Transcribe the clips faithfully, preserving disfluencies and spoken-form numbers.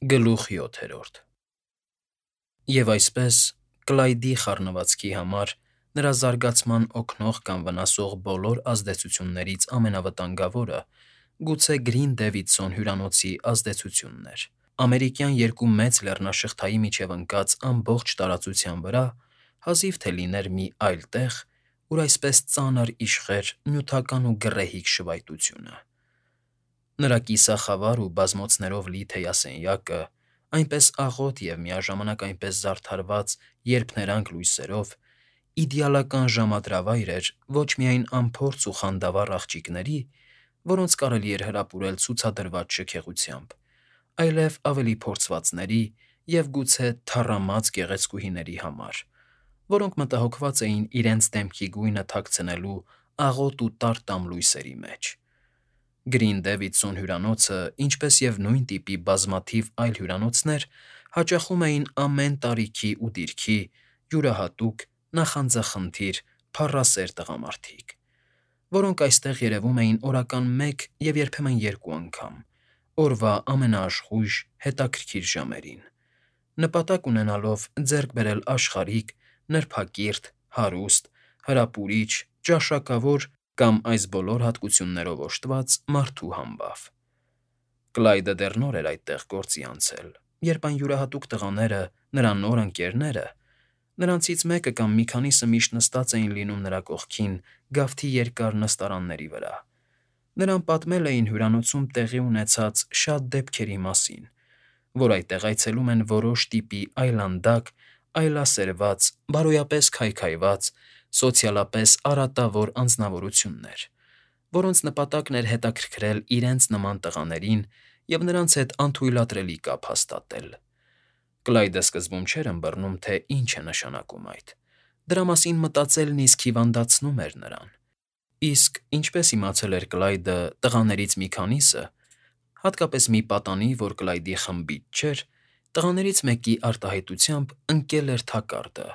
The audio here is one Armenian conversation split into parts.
Գլուխ յոթերորդ Եվ այսպես, Կլայդի խառնվածքի համար նրա զարգացման օգնող կամ վնասող բոլոր ազդեցություններից ամենավտանգավորը գուցե Գրին հյուրանոցի ազդեցությունն էր։ Ամերիկյան երկու մեծ լեռնաշղթայի միջև ընկած ամբողջ տարածության վրա հազիվ թե լիներ մի այլ տեղ, ուր այսպես ծանր իշխեր նյութական ու գռեհիկ շվայտությունը։ Նրա կիսախավար ու բազմոցներով լի թեյասենյակը, այնպես աղոտ և միաժամանակ այնպես զարդարված երփներանգ լույսերով, իդեալական ժամադրավայր էր ոչ միայն անփորձ ու խանդավառ աղջիկների, որոնց կարելի էր հրապուրել ցուցադրված շքեղությամբ, այլև ավելի փորձվածների և գուցե թառամած գեղեցկուհիների համար, որոնք մտահոգված էին իրենց դեմքի գույնը թաքցնելու աղոտ ու տար տան լույսերի մեջ։ Գրին հյուրանոցը, ինչպես և նույն տիպի բազմաթիվ այլ հյուրանոցներ, հաճախում էին ամեն տարիքի ու դիրքի յուրահատուկ, նախանձախնդիր, փառասեր տղամարդիկ, որոնք այստեղ երևում էին օրական մեկ և երբեմն երկու անգամ, օրվա ամենաաշխույժ, հետաքրքիր ժամերին, նպատակ ունենալով ձեռք բերել աշխարհիկ, նրբակիրթ, հարուստ, հրապուրիչ, ճաշակավոր կամ այս բոլոր հատկություններով օժտված մարդու համբավ։ Կլայդը դեռ նոր էր այդտեղ գործի անցել, երբ այն յուրահատուկ տղաները, նրա նոր ընկերները (նրանցից մեկը կամ մի քանիսը միշտ նստած էին լինում նրա կողքին գավթի երկար նստարանների վրա) նրան պատմել էին հյուրանոցում տեղի ունեցած շատ դեպքերի մասին, որ այդտեղ այցելում են որոշ տիպի այլանդակ, այլասերված, բարոյապես քայքայված, սոցիալապես արատավոր անձնավորություններ, որոնց նպատակն էր հետաքրքրել իրենց նման տղաներին և նրանց հետ անթույլատրելի կապ հաստատել։ Կլայդը սկզբում չէր ըմբռնում, թե ինչ է նշանակում այդ, դրա մասին մտածելն իսկ հիվանդացնում էր նրան։ Իսկ ինչպես իմացել էր Կլայդը, տղաներից մի քանիսը, հատկապես մի պատանի, որ Կլայդի խմբից չէր, տղաներից մեկի արտահայտությամբ ընկել էր թակարդը։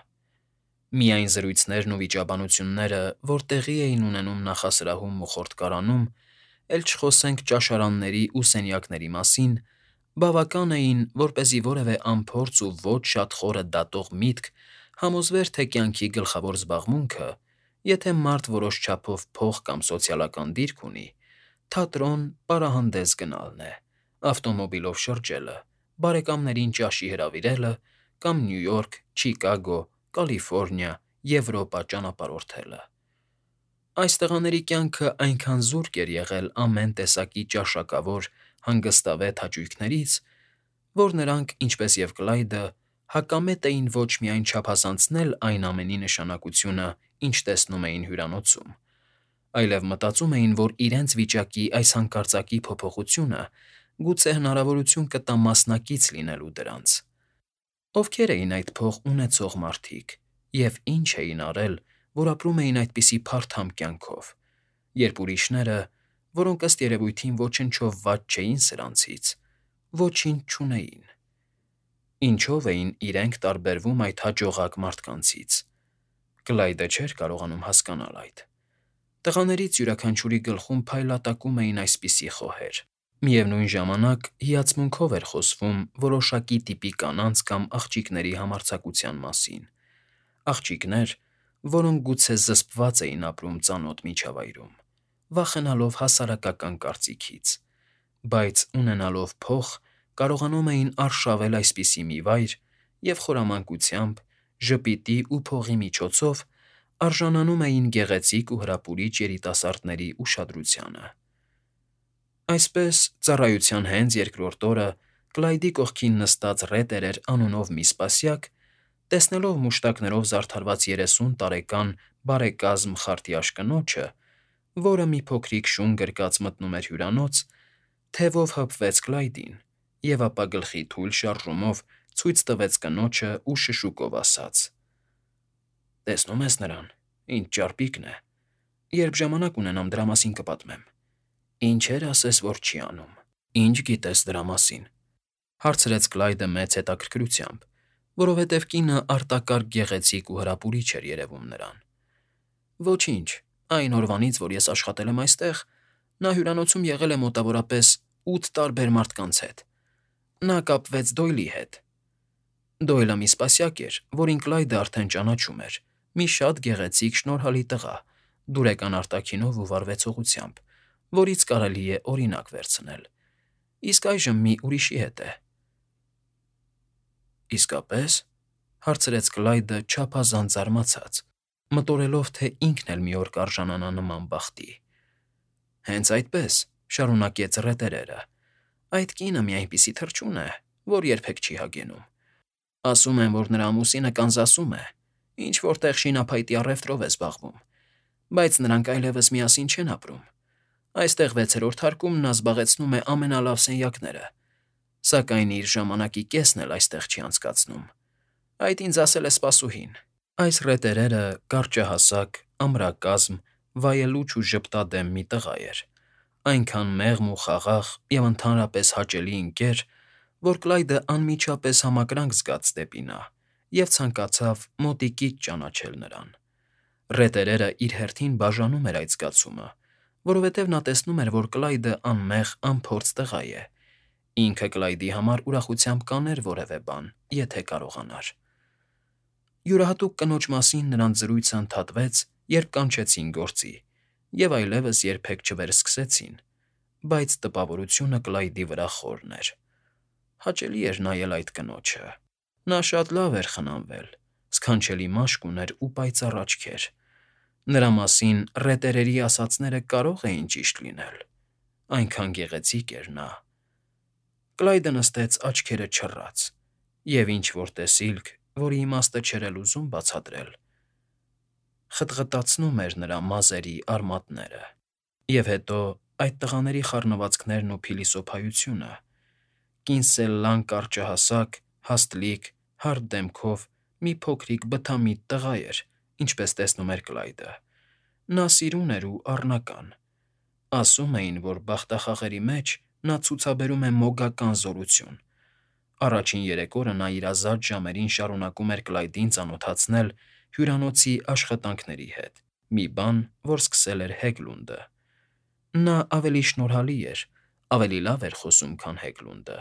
Միայն զրույցներն ու վիճաբանությունները, որ տեղի էին ունենում նախասրահում ու խորտկարանում, էլ չխոսենք ճաշարանների ու սենյակների մասին, բավական էին, որպեսզի որևէ անփորձ ու ոչ շատ խորը դատող միտք համոզվեր, թե կյանքի գլխավոր զբաղմունքը, եթե մարդ որոշ չափով փող կամ սոցիալական դիրք ունի, թատրոն, պարահանդես գնալն է, ավտոմոբիլով շրջելը, բարեկամներին ճաշի հրավիրելը կամ Նյու Յորք, Չիկագո, Կալիֆոռնիա, Եվրոպա ճանապարհորդելը։ Այս տղաների կյանքը այնքան զուրկ էր եղել ամեն տեսակի ճաշակավոր, հանգստավետ հաճույքներից, որ նրանք, ինչպես և Կլայդը, հակամետ էին ոչ միայն չափազանցնել այն ամենի նշանակությունը, ինչ տեսնում էին հյուրանոցում, այլև մտածում էին, որ իրենց վիճակի այս հանկարծակի փոփոխությունը գուցե հնարավորություն կտա մասնակից լինելու դրանց։ Ովքե՞ր էին այդ փող ունեցող մարդիկ և ի՞նչ էին արել, որ ապրում էին այդպիսի փարթամ կյանքով, երբ ուրիշները, որոնք ըստ երևույթին ոչնչով վատ չէին սրանցից, ոչինչ չունեին։ Ինչո՞վ էին իրենք տարբերվում այդ հաջողակ մարդկանցից։ Կլայդը չէր կարողանում հասկանալ այդ։ Տղաներից յուրաքանչյուրի գլխում փայլատակում էին այսպիսի խոհեր։ Միևնույն ժամանակ հիացմունքով էր խոսվում որոշակի տիպի կանանց կամ աղջիկների համարձակության մասին, աղջիկներ, որոնք գուցե զսպված էին ապրում ծանոթ միջավայրում, վախենալով հասարակական կարծիքից, բայց ունենալով փող, կարողանում էին արշավել այսպիսի մի վայր և խորամանկությամբ, ժպիտի ու փողի միջոցով արժանանում էին գեղեցիկ ու հրապուրիչ երիտասարդների ուշադրությանը։ Այսպես, ծառայության հենց երկրորդ օրը Կլայդի կողքին նստած Ռետերեր անունով մի սպասյակ, տեսնելով մուշտակներով զարդարված երեսուն տարեկան բարեկազմ խարտյաշ կնոջը, որը մի փոքրիկ շուն գրկած մտնում էր հյուրանոց, թևով հպվեց Կլայդին և ապա գլխի թույլ շարժումով ցույց տվեց կնոջն ու շշուկով ասաց. «Տեսնո՞ւմ ես նրան, ինչ ճարպիկն է, երբ ժամանակ ունենամ, դրա մասին կպատմեմ»։ «Ինչեր ասես, որ չի անում։ Ինչ գիտես դրա մասին»։ Հարցրեց Կլայդը մեծ հետաքրքրությամբ, որովհետև կինը արտակարգ գեղեցիկ ու հրապուրիչ էր երևում նրան։ «Ոչինչ, այն օրվանից, որ ես աշխատել եմ այստեղ, նա հյուրանոցում եղել է մոտավորապես ութ տարբեր մարդկանց հետ։ Նա կապվեց Դոյլի հետ։ Դոյլը մի սպասյակ էր, որին Կլայդը արդեն ճանաչում էր, մի շատ գեղեցիկ, շնորհալի տղա, դուրեկան արտաքինով ու վարվեցողությամբ, որից կարելի է օրինակ վերցնել։ Իսկ այժմ մի ուրիշի հետ է։ Իսկապես,֊ հարցրեց Կլայդը չափազանց զարմացած, մտորելով, թե ինքն էլ մի օր կարժանանա նման բախտի։ Հենց այդպես,֊ շարունակեց Ռետերերը,֊ այդ կինը մի այնպիսի թռչուն է, որ երբեք չի հագենում։ Ասում են, որ նրա ամուսինը Կանզասում է, ինչ֊որ տեղ շինափայտի առևտրով է զբաղվում, բայց նրանք այլևս միասին չեն ապրում։ Այստեղ վեցերորդ հարկում նա զբաղեցնում է ամենալավ սենյակները, սակայն իր ժամանակի կեսն էլ այստեղ չի անցկացնում։ Այդ ինձ ասել է սպասուհին։ Այս Ռետերերը կարճահասակ, ամրակազմ, վայելուչ ու ժպտադեմ մի տղա էր, այնքան մեղմ ու խաղաղ և ընդհանրապես հաճելի ընկեր, որ Կլայդը անմիջապես համակրանք զգաց դեպի նա և ցանկացավ մոտիկից ճանաչել նրան։ Ռետերերը իր հերթին բաժանում էր այդ զգացումը, որովհետև նա տեսնում էր, որ Կլայդը անմեղ, անփորձ տղա է, ինքը Կլայդի համար ուրախությամբ կաներ որևէ բան, եթե կարողանար։ Յուրահատուկ կնոջ մասին նրանց զրույցը ընդհատվեց, երբ կանչեցին գործի, և այլևս երբեք չվերսկսեցին, բայց տպավորությունը Կլայդի վրա խորն էր։ Հաճելի էր նայել այդ կնոջը։ Նա շատ լավ էր խնամվել, սքանչելի մաշկ ուներ ու պայծառ աչքեր։ Նրա մասին Ռետերերի ասածները կարող էին ճիշտ լինել, այնքան գեղեցիկ էր նա։ Կլայդը նստեց աչքերը չռած, և ինչ֊որ տեսիլք, որի իմաստը չէր էլ ուզում բացատրել, խտղտացնում էր նրա մազերի արմատները։ Եվ հետո այդ տղաների խառնվածքներն ու փիլիսոփայությունը։ Կինսել լան կարճահասակ, հաստլիկ, հարթ դեմքով մի փոքրիկ բթամիտ տղա էր, ինչպես տեսնում էր Կլայդը։ Նա սիրուն էր ու առնական։ Ասում էին, որ բախտախաղերի մեջ նա ցուցաբերում է մոգական զորություն։ Առաջին երեք օրը նա իր ազատ ժամերին շարունակում էր Կլայդին ծանոթացնել հյուրանոցի աշխատանքների հետ, մի բան, որ սկսել էր Հեգլունդը։ Նա ավելի շնորհալի էր, ավելի լավ էր խոսում, քան Հեգլունդը,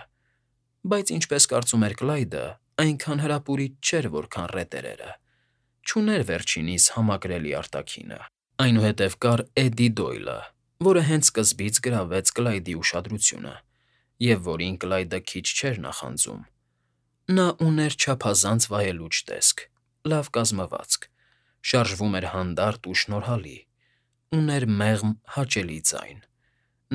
բայց, ինչպես կարծում էր Կլայդը, այնքան հրապուրիչ չէր, որքան Ռետերերը, չուներ վերջինիս համակրելի արտաքինը։ Այնուհետև կար Էդի Դոյլը, որը հենց սկզբից գրավեց Կլայդի ուշադրությունը, և որին Կլայդը քիչ չէր նախանձում։ Նա ուներ չափազանց վայելուչ տեսք, լավ կազմվածք, շարժվում էր հանդարտ ու շնորհալի, ուներ մեղմ, հաճելի ձայն։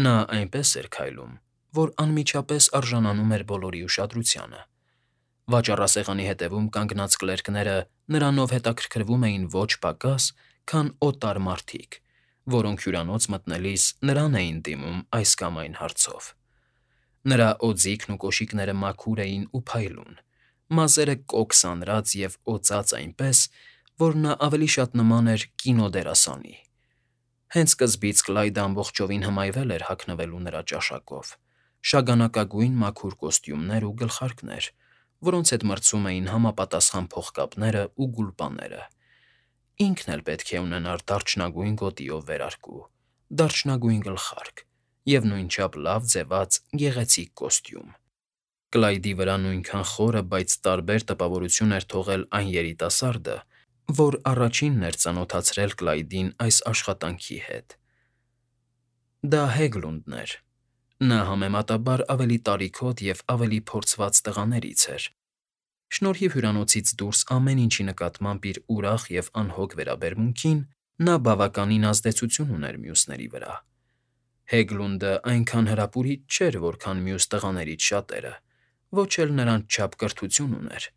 Նա այնպես էր քայլում, որ անմիջապես արժանանում էր բոլորի ուշադրությանը։ Վաճառասեղանի հետևում կանգնած կլերկները նրանով հետաքրքրվում էին ոչ պակաս, քան օտար մարդիկ, որոնք հյուրանոց մտնելիս նրան էին դիմում այս կամ այն հարցով։ Նրա օձիքն ու կոշիկները մաքուր էին ու փայլուն, մազերը կոկ սանրած և օծած այնպես, որ նա ավելի շատ նման էր կինոդերասանի։ Հենց սկզբից Կլայդը ամբողջովին հմայվել էր հագնվելու նրա ճաշակով՝ շագանակագույն մաքուր կոստյումներ ու գլխարկներ, որոնց հետ մրցում էին համապատասխան փողկապներն ու գուլպաները։ Ինքն էլ պետք է ունենար դարչնագույն գոտիով վերարկու, դարչնագույն գլխարկ և նույնչափ լավ ձևած գեղեցիկ կոստյում։ Կլայդի վրա նույնքան խորը, բայց տարբեր տպավորություն էր թողել այն երիտասարդը, որ առաջինն էր ծանոթացրել Կլայդին այս աշխատանքի հետ։ Դա Հեգլունդն էր։ Նա համեմատաբար ավելի տարիքոտ և ավելի փորձված տղաներից էր։ Շնորհիվ հյուրանոցից դուրս ամեն ինչի նկատմամբ իր ուրախ և անհոգ վերաբերմունքին, նա բավականին ազդեցություն ուներ մյուսների վրա։ Հեգլունդը այնքան հրապուրիչ չէր, որքան մյուս տղաներից շատերը, ոչ էլ նրանց չափ կրթություն ուներ,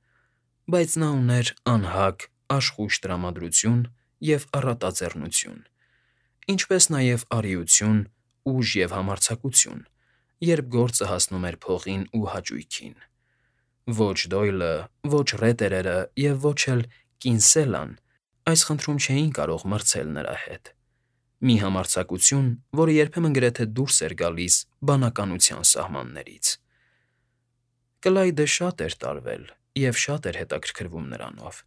բայց նա ուներ անհագ, աշխույժ տրամադրություն և առատաձեռնություն, ինչպես նաև արիություն, ուժ և համարձակություն, երբ գործը հասնում էր փողին ու հաճույքին։ Ոչ Դոյլը, ոչ Ռետերերը և ոչ էլ Կինսելան այս խնդրում չէին կարող մրցել նրա հետ։ Մի համարձակություն, որը երբեմն գրեթե դուրս էր գալիս բանականության սահմաններից։ Կլայդը շատ էր տարվել և շատ էր հետաքրքրվում նրանով։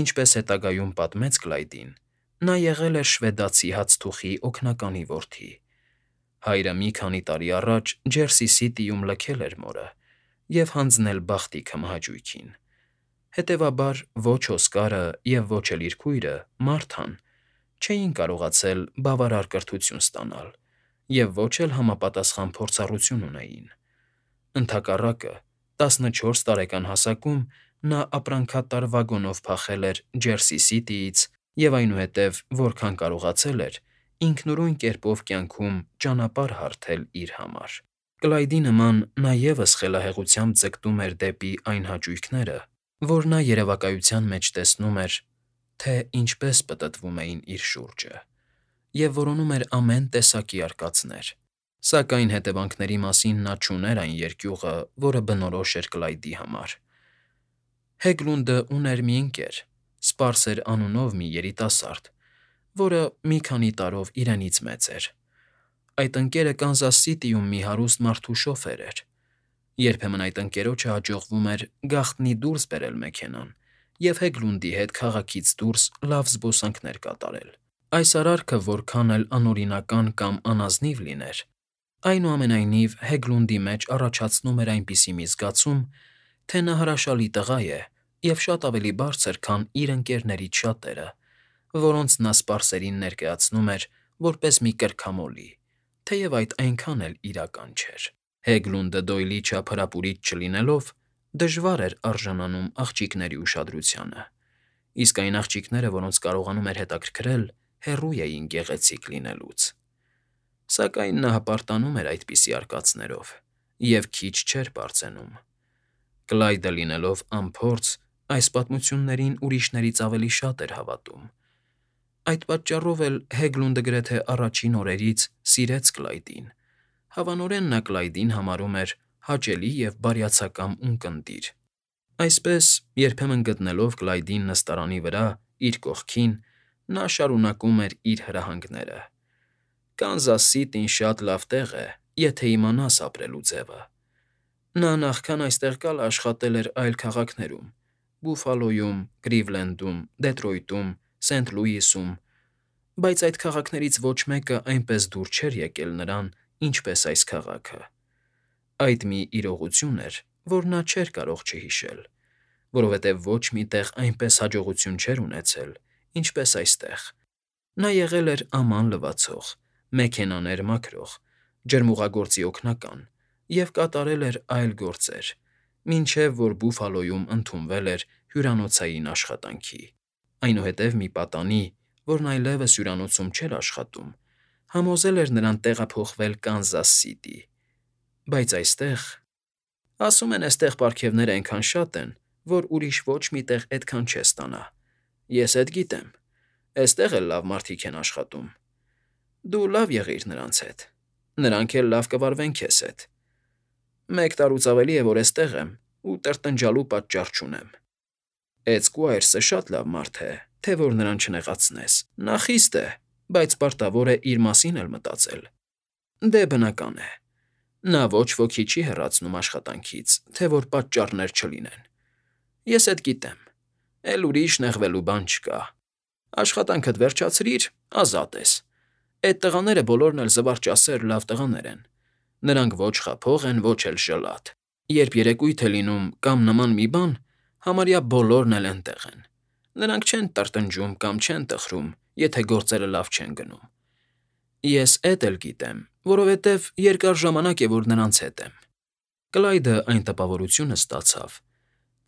Ինչպես հետագայում պատմեց Կլայդին, նա եղել էր շվեդացի հացթուխի օգնականի որդի։ Հայրը մի քանի տարի առաջ Ջերսի Սիթիում լքել էր մորը և հանձնել բախտի քմահաճույքին։ Հետևաբար ոչ Օսկարը և ոչ էլ իր քույրը՝ Մարթան, չէին կարողացել բավարար կրթություն ստանալ և ոչ էլ համապատասխան փորձառություն ունեին։ Ընդհակառակը, տասնչորս տարեկան հասակում նա ապրանքատար վագոնով փախել էր Ջերսի Սիթիից և այնուհետև, որքան կարողացել էր, ինքնուրույն կերպով կյանքում ճանապարհ հարթել իր համար։ Կլայդի նման նա ևս խելահեղությամբ ձգտում էր դեպի այն հաճույքները, որ նա երևակայության մեջ տեսնում էր, թե ինչպես պտտվում էին իր շուրջը, և որոնում էր ամեն տեսակի արկածներ, սակայն հետևանքների մասին նա չուներ այն երկյուղը, որը բնորոշ էր Կլայդի համար։ Հեգլունդը ուներ մի ընկեր, Սպարսեր անունով մի երիտասարդ, որը մի քանի տարով իրենից մեծ էր։ Այդ ընկերը Կանզաս Սիթիում մի հարուստ մարդու շոֆեր էր։ Երբեմն այդ ընկերոջը հաջողվում էր գաղտնի դուրս բերել մեքենան և Հեգլունդի հետ քաղաքից դուրս լավ զբոսանքներ կատարել։ Այս արարքը որքան էլ անօրինական կամ անազնիվ լիներ, այնուամենայնիվ Հեգլունդի մեջ առաջացնում էր այնպիսի մի զգացում, թե նա հրաշալի տղա է և շատ ավելի բարձր, քան իր ընկերներից շատերը, որոնց նա սպարսերին ներկայացնում էր որպես մի կրքամոլի, թեև այդ այնքան էլ իրական չէր։ Հեգլունդը Դոյլի չափ հրապուրիչ չլինելով, դժվար էր արժանանում աղջիկների ուշադրությանը, իսկ այն աղջիկները, որոնց կարողանում էր հետաքրքրել, հեռու էին գեղեցիկ լինելուց։ Սակայն նա հպարտանում էր այդպիսի արկածներով և քիչ չէր պարծենում։ Կլայդը լինելով անփորձ, այս պատմություններին ուրիշներից ավելի շատ էր հավատում։ Այդ պատճառով էլ Հեգլունդը գրեթե առաջին օրերից սիրեց Կլայդին, հավանորեն նա Կլայդին համարում էր հաճելի և բարյացակամ ունկնդիր։ Այսպես, երբեմն գտնելով Կլայդին նստարանի վրա, իր կողքին, նա շարունակում էր իր հրահանգները. «Կանզաս Սիթին շատ լավ տեղ է, եթե իմանաս ապրելու ձևը։ Նա նախքան այստեղ գալը աշխատել էր այլ քաղաքներում՝ Բուֆալոյում, Կլիվլենդում, Դեթրոյթում, Սենթ Լուիսում, բայց այդ քաղաքներից ոչ մեկը այնպես դուր չէր եկել նրան, ինչպես այս քաղաքը։ Այդ մի իրողություն էր, որ նա չէր կարող չհիշել, որովհետև ոչ մի տեղ այնպես հաջողություն չէր ունեցել, ինչպես այստեղ։ Նա եղել էր աման լվացող, մեքենաներ մաքրող, ջրմուղագործի օգնական և կատարել էր այլ գործեր, մինչև որ Բուֆալոյում ընդունվել էր հյուրանոցային աշխատանքի։ Այնուհետև մի պատանի, որն այլևս հյուրանոցում չէր աշխատում, համոզել էր նրան տեղափոխվել Կանզաս Սիթի։ Բայց այստեղ… Ասում են, էստեղ պարգևներն այնքան շատ են, որ ուրիշ ոչ մի տեղ էդքան չես ստանա։ Ես էդ գիտեմ, էստեղ էլ լավ մարդիկ են աշխատում։ Դու լավ եղիր նրանց հետ, նրանք էլ լավ կվարվեն քեզ հետ։ Մեկ տարուց ավելի է, որ էստեղ եմ ու տրտնջալու պատճառ չունեմ։ Էդ Սքուայրսը շատ լավ մարդ է, թե որ նրան չնեղացնես։ Նա խիստ է, բայց պարտավոր է իր մասին էլ մտածել։ Դե, բնական է, նա ոչ ոքի չի հեռացնում աշխատանքից, թե որ պատճառներ չլինեն։ Ես էդ գիտեմ, էլ ուրիշ նեղվելու բան չկա։ Աշխատանքդ վերջացրիր, ազատ ես։ Էդ տղաները բոլորն էլ զվարճասեր լավ տղաներ են։ Նրանք ոչ խաբող են, ոչ էլ ժլատ։ Երբ երեկույթ է լինում կամ նման մի բան, համարյա բոլորն էլ էնտեղ են։ Նրանք չեն տրտնջում կամ չեն տխրում, եթե գործերը լավ չեն գնում։ Ես էդ էլ գիտեմ, որովհետև երկար ժամանակ է, որ նրանց հետ եմ։ Կլայդը այն տպավորությունը ստացավ,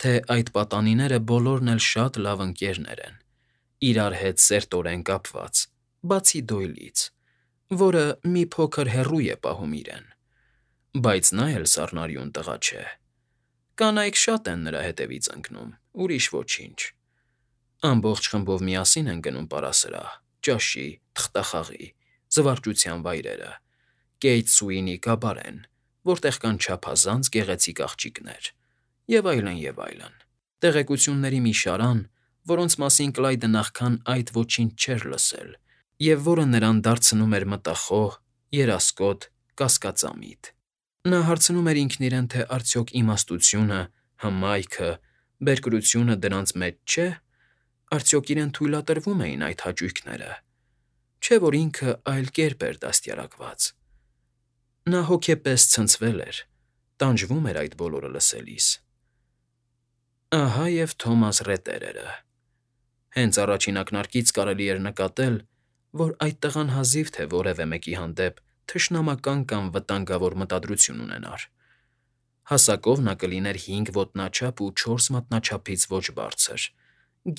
թե այդ պատանիները բոլորն էլ շատ լավ ընկերներ են, իրար հետ սերտորեն կապված, բացի Դոյլից, որը մի փոքր հեռու է պահում իրեն։ Բայց նա էլ սառնարյուն տղա չէ։ Կանայք շատ են նրա հետևից ընկնում, ուրիշ ոչինչ։ Ամբողջ խմբով միասին են գնում պարասրահ, ճաշի, թղթախաղի, զվարճության վայրերը, Կեյթ Սուինի կաբարեն, որտեղ կան չափազանց գեղեցիկ աղջիկներ, և այլն, և այլն։ Տեղեկությունների մի շարան, որոնց մասին Կլայդը նախքան այդ ոչինչ չէր լսել, և որը նրան դարձնում էր մտախոհ, երասկոտ, կասկածամիտ։ Նա հարցնում էր ինքն իրեն, թե արդյոք իմաստությունը, հմայքը, բերկրությունը դրանց մեջ չէ, արդյոք իրեն թույլատրվում էին այդ հաճույքները, չէ՞ որ ինքը այլ կերպ էր դաստիարակված։ Նա հոգեպես ցնցվել էր, Տանջվում էր այդ բոլորը լսելիս։ Ահա և Թոմաս Ռետերերը։ Հենց առաջին ակնարկից կարելի էր նկատել, որ այդ տղան հազիվ թե որևէ մեկի հանդեպ թշնամական կամ վտանգավոր մտադրություն ունենար։ Հասակով նա կլիներ հինգ ոտնաչափ ու չորս մատնաչափից ոչ բարձր,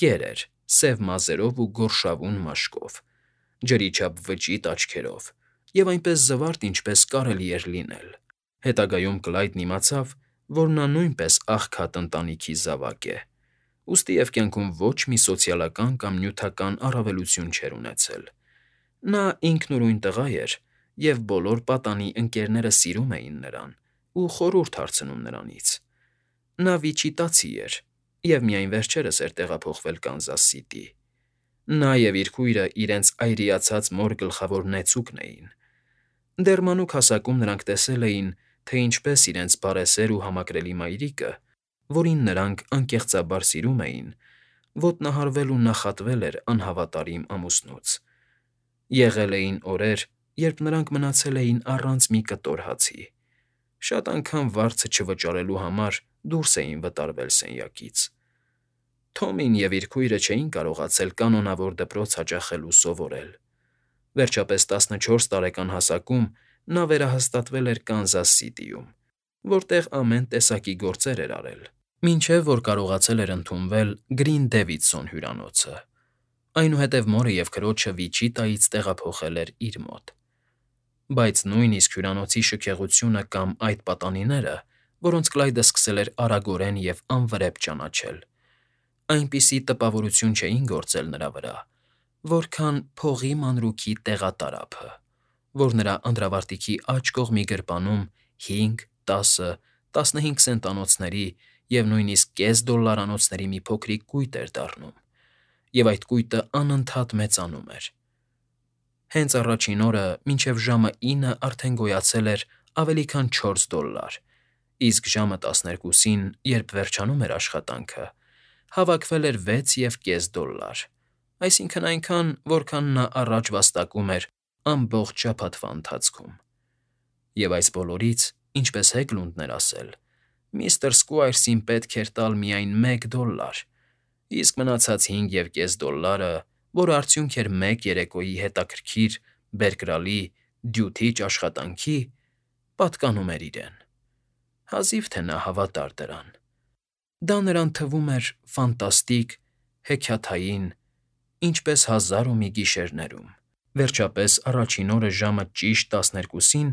գեր էր, սև մազերով ու գորշավուն մաշկով, ջրի չափ վճիտ աչքերով և այնպես զվարթ, ինչպես կարելի էր լինել։ Հետագայում Կլայդն իմացավ, որ նա նույնպես աղքատ ընտանիքի զավակ է, ուստի և կյանքում ոչ մի սոցիալական կամ նյութական առավելություն չէր ունեցել։ Նա ինքնուրույն տղա էր, և բոլոր պատանի ընկերները սիրում էին նրան ու խորհուրդ հարցնում նրանից։ Նա Վիչիտացի էր և միայն վերջերս էր տեղափոխվել Կանզաս Սիթի։ Նա և իր քույրը իրենց այրիացած մոր գլխավոր նեցուկն էին։ Դեռ մանուկ հասակում նրանք տեսել էին, թե ինչպես իրենց բարեսեր ու համակրելի մայրիկը, որին նրանք անկեղծաբար սիրում էին, ոտնահարվել ու նախատվել էր անհավատարիմ ամուսնուց։ Եղել էին օրեր, երբ նրանք մնացել էին առանց մի կտոր հացի։ Շատ անգամ վարձը չվճարելու համար դուրս էին վտարվել սենյակից։ Թոմին և իր քույրը չէին կարողացել կանոնավոր դպրոց հաճախել ու սովորել։ Վերջապես տասնչորս տարեկան հասակում նա վերահաստատվել էր Կանզաս Սիթիում, որտեղ ամեն տեսակի գործեր էր արել, մինչև որ կարողացել էր ընդունվել Գրին Դեվիդսոն հյուրանոցը։ Այնուհետև մորը և քրոջը Վիչիտայից տեղափոխել էր իր մոտ։ Բայց նույնիսկ հյուրանոցի շքեղությունը կամ այդ պատանիները, որոնց Կլայդը սկսել էր արագորեն և անվրեպ ճանաչել, այնպիսի տպավորություն չէին գործել նրա վրա, որքան փողի մանրուքի տեղատարափը, որ նրա անդրավարտիքի աջ կողմի գրպանում հինգ, տասը, տասնհինգ սենտանոցների և նույնիսկ կես դոլլարանոցների մի փոքրիկ կույտ էր դառնում, և այդ կույտը անընդհատ մեծանում էր։ Հենց առաջին օրը մինչև ժամը ինը արդեն գոյացել էր ավելի քան չորս դոլլար, իսկ ժամը տասներկուսին, երբ վերջանում էր աշխատանքը, հավաքվել էր վեց և կես դոլլար, այսինքն՝ այնքան, որքան նա առաջ վաստակում էր ամբողջ շաբաթվա ընթացքում։ Եվ այս բոլորից, ինչպես Հեգլունդն էր ասել, միստր Սքվայրսին պետք էր տալ միայն մեկ դոլլար, իսկ մնացած հինգ և կես դոլլարը, որը արդյունք էր մեկ երեկոյի հետաքրքիր, բերկրալի, դյութիչ աշխատանքի, պատկանում էր իրեն։ Հազիվ թե նա հավատար դրան։ Դա նրան թվում էր ֆանտաստիկ, հեքիաթային, ինչպես «Հազար ու մի գիշեր»֊ներում։ Վերջապես առաջին օրը ժամը ճիշտ տասներկուսին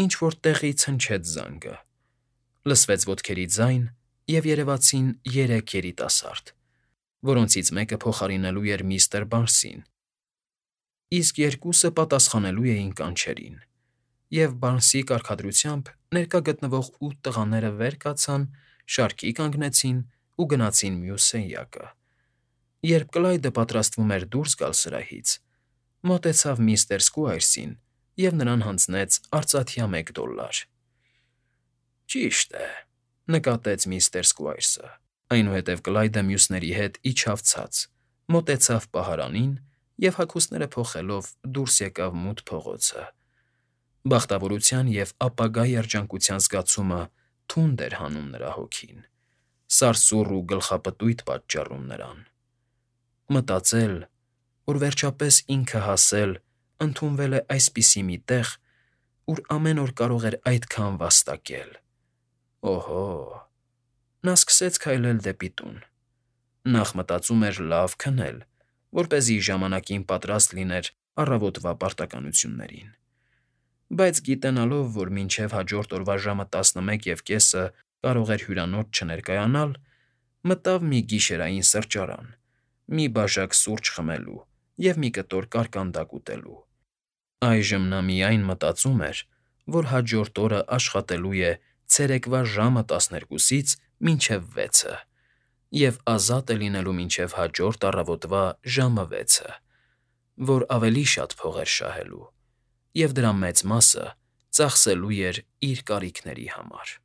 ինչ֊որ տեղից հնչեց զանգը։ Լսվեց ոտքերի ձայն, և երևացին երեք երիտասարդ, որոնցից մեկը փոխարինելու էր միստր Բարսին, իսկ երկուսը պատասխանելու էին կանչերին, և Բարնսի կարգադրությամբ ներկա գտնվող ութ տղաները վեր կացան, շարքի կանգնեցին ու գնացին մյուս սենյակը։ Երբ Կլայդը պատրաստվում էր դուրս գալ սրահից, մոտեցավ միստր Սքվայրսին և նրան հանձնեց արծաթյա մեկ դոլլար։ ֊ Ճիշտ է,֊ նկատեց միստր Սքվայրսը։ Այնուհետև Կլայդը մյուսների հետ իջավ ցած, մոտեցավ պահարանին և, հագուստները փոխելով, դուրս եկավ մութ փողոցը։ Բախտավորության և ապագա երջանկության զգացումը թունդ էր հանում նրա հոգին, սարսուռ ու գլխապտույտ պատճառում նրան։ Մտածել, որ վերջապես ինքը հասել, ընդունվել է այսպիսի մի տեղ, ուր ամեն օր կարող էր այդքան վաստակել… Օհո՜… Նա սկսեց քայլել դեպի տուն։ Նախ մտածում էր լավ քնել, որպեսզի ժամանակին պատրաստ լիներ առավոտվա պարտականություններին։ Բայց գիտենալով, որ մինչև հաջորդ օրվա ժամը տասնմեկ և կեսը կարող էր հյուրանոց չներկայանալ, մտավ մի գիշերային սրճարան՝ մի բաժակ սուրճ խմելու և մի կտոր կարկանդակ ուտելու։ Այժմ նա միայն մտածում էր, որ հաջորդ օրը աշխատելու է ցերեկվա ժամը տասներկուսից մինչև վեցը և ազատ է լինելու մինչև հաջորդ առավոտվա ժամը վեցը, որ ավելի շատ փող էր շահելու, և դրա մեծ մասը ծախսելու էր իր կարիքների համար։